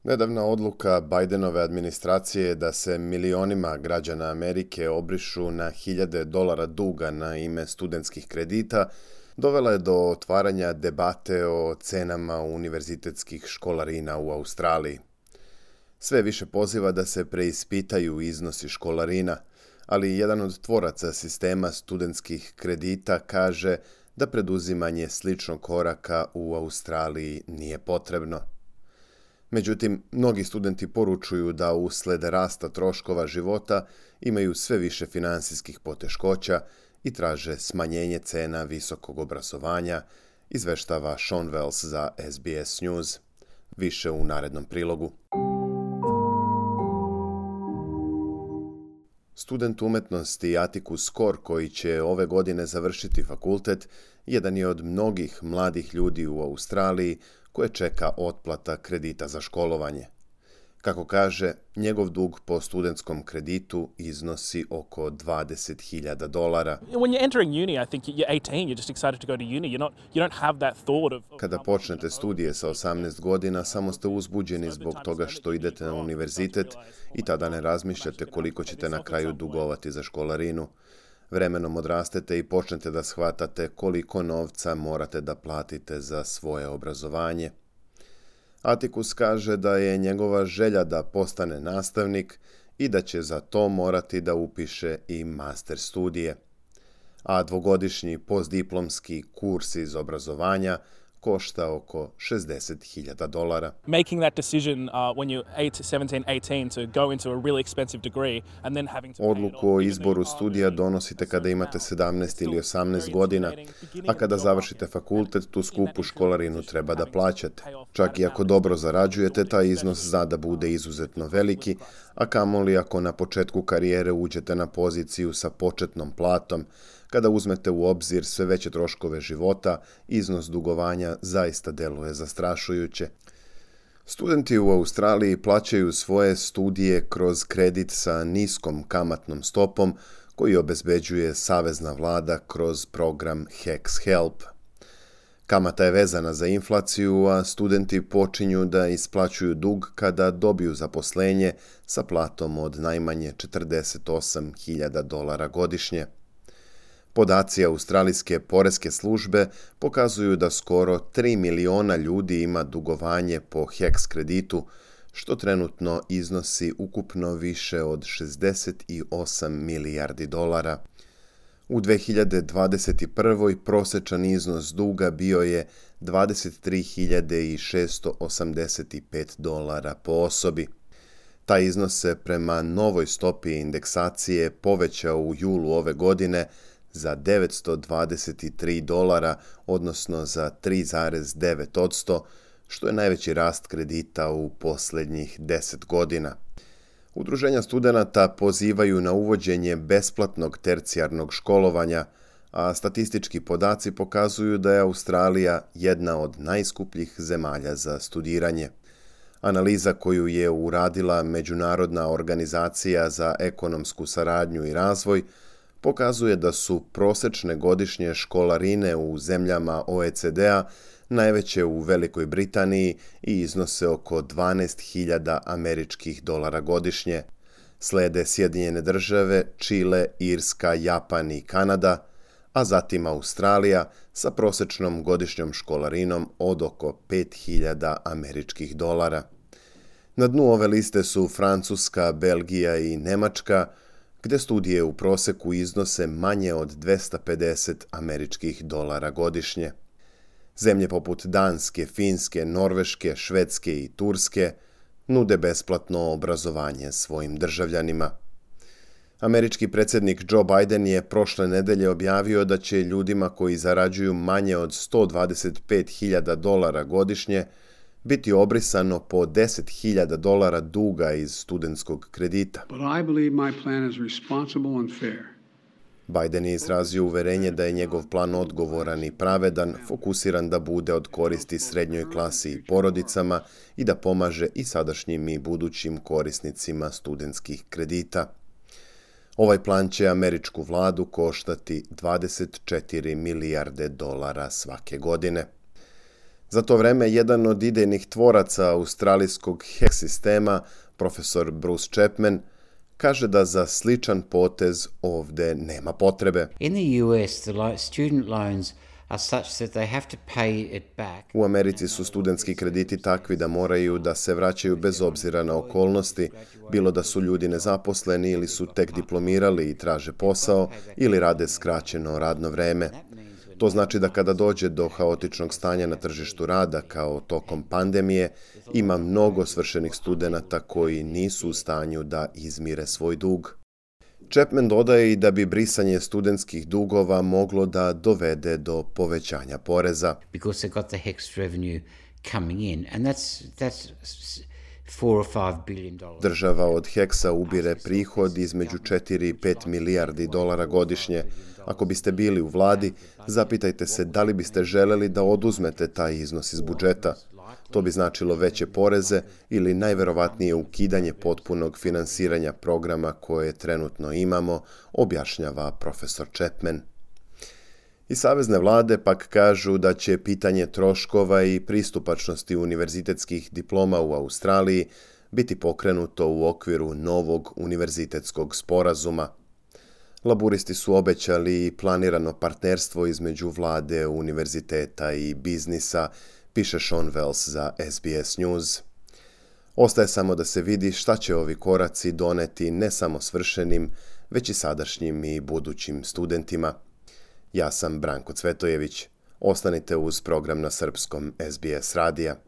Nedavna odluka Bidenove administracije je da se milionima građana Amerike obrišu na hiljade dolara duga na ime studentskih kredita dovela je do otvaranja debate o cenama univerzitetskih školarina u Australiji. Sve više poziva da se preispitaju iznosi školarina, ali jedan od tvoraca sistema studentskih kredita kaže da preduzimanje sličnog koraka u Australiji nije potrebno. Međutim, mnogi studenti poručuju da usled rasta troškova života imaju sve više finansijskih poteškoća i traže smanjenje cena visokog obrazovanja, izveštava Sean Wells za SBS News. Više u narednom prilogu. Student umetnosti Atticus Core, koji će ove godine završiti fakultet, jedan je od mnogih mladih ljudi u Australiji koje čeka otplata kredita za školovanje. Kako kaže, njegov dug po studentskom kreditu iznosi oko $20,000. When you're entering uni, I think you're 18, you're just excited to go to uni. You don't have that thought of Kada počnete studije sa 18 godina, samo ste uzbuđeni zbog toga što idete na univerzitet i tada ne razmišljate koliko ćete na kraju dugovati za školarinu. Vremenom odrastete i počnete da shvatate koliko novca morate da platite za svoje obrazovanje. Atticus kaže da je njegova želja da postane nastavnik i da će za to morati da upiše i master studije. A dvogodišnji postdiplomski kurs iz obrazovanja košta oko $60,000. making that decision when you're 17, 18 to go into a really expensive degree and then having to pay it Odluku all, o even izboru though you're studija older. donosite kada imate 17 ili 18 godina, a kada završite fakultet, tu skupu školarinu treba da plaćate. Čak i ako dobro zarađujete, taj iznos zna da bude izuzetno veliki, a kamoli ako na početku karijere uđete na poziciju sa početnom platom. Kada uzmete u obzir sve veće troškove života, iznos dugovanja zaista deluje zastrašujuće. Studenti u Australiji plaćaju svoje studije kroz kredit sa niskom kamatnom stopom koji obezbeđuje savezna vlada kroz program HECS Help. Kamata je vezana za inflaciju, a studenti počinju da isplaćuju dug kada dobiju zaposlenje sa platom od najmanje $48,000 godišnje. Podaci australijske poreske službe pokazuju da skoro 3 miliona ljudi ima dugovanje po HECS kreditu, što trenutno iznosi ukupno više od $68 milijardi. U 2021. prosječan iznos duga bio je $23,685 po osobi. Taj iznos se prema novoj stopi indeksacije povećao u julu ove godine za $923, odnosno za 3,9%, što je najveći rast kredita u posljednjih 10 godina. Udruženja studenata pozivaju na uvođenje besplatnog tercijarnog školovanja, a statistički podaci pokazuju da je Australija jedna od najskupljih zemalja za studiranje. Analiza koju je uradila Međunarodna organizacija za ekonomsku saradnju i razvoj pokazuje da su prosječne godišnje školarine u zemljama OECD-a najveće u Velikoj Britaniji i iznose oko $12,000 godišnje. Slede Sjedinjene Države, Čile, Irska, Japan i Kanada, a zatim Australija sa prosječnom godišnjom školarinom od oko $5,000. Na dnu ove liste su Francuska, Belgija i Nemačka, gdje studije u proseku iznose manje od $250 godišnje. Zemlje poput Danske, Finske, Norveške, Švedske i Turske nude besplatno obrazovanje svojim državljanima. Američki predsjednik Joe Biden je prošle nedelje objavio da će ljudima koji zarađuju manje od $125,000 godišnje biti obrisano po $10,000 duga iz studentskog kredita. But I believe my plan is responsible and fair. Biden je izrazio uverenje da je njegov plan odgovoran i pravedan, fokusiran da bude od koristi srednjoj klasi i porodicama i da pomaže i sadašnjim i budućim korisnicima studentskih kredita. Ovaj plan će američku vladu koštati $24 milijarde svake godine. Za to vreme jedan od idejnih tvoraca australijskog HEC sistema, profesor Bruce Chapman, kaže da za sličan potez ovde nema potrebe. In the US, the student loans are such that they have to pay it back. U Americi su studentski krediti takvi da moraju da se vraćaju bez obzira na okolnosti, bilo da su ljudi nezaposleni ili su tek diplomirali i traže posao ili rade skraćeno radno vreme. To znači da kada dođe do haotičnog stanja na tržištu rada kao tokom pandemije, ima mnogo svršenih studenata koji nisu u stanju da izmire svoj dug. Chapman dodaje i da bi brisanje studentskih dugova moglo da dovede do povećanja poreza. Because they got the HECS revenue coming in, and that's $4 or $5 billion. Država od HECS-a ubire prihod između 4 i 5 milijardi dolara godišnje. Ako biste bili u vladi, zapitajte se da li biste želeli da oduzmete taj iznos iz budžeta. To bi značilo veće poreze ili najverovatnije ukidanje potpunog finansiranja programa koje trenutno imamo, objašnjava profesor Chapman. I savezne vlade pak kažu da će pitanje troškova i pristupačnosti univerzitetskih diploma u Australiji biti pokrenuto u okviru novog univerzitetskog sporazuma. Laburisti su obećali planirano partnerstvo između vlade, univerziteta i biznisa, piše Sean Wells za SBS News. Ostaje samo da se vidi šta će ovi koraci doneti ne samo svršenim, već i sadašnjim i budućim studentima. Ja sam Branko Cvetojević. Ostanite uz program na srpskom SBS radija.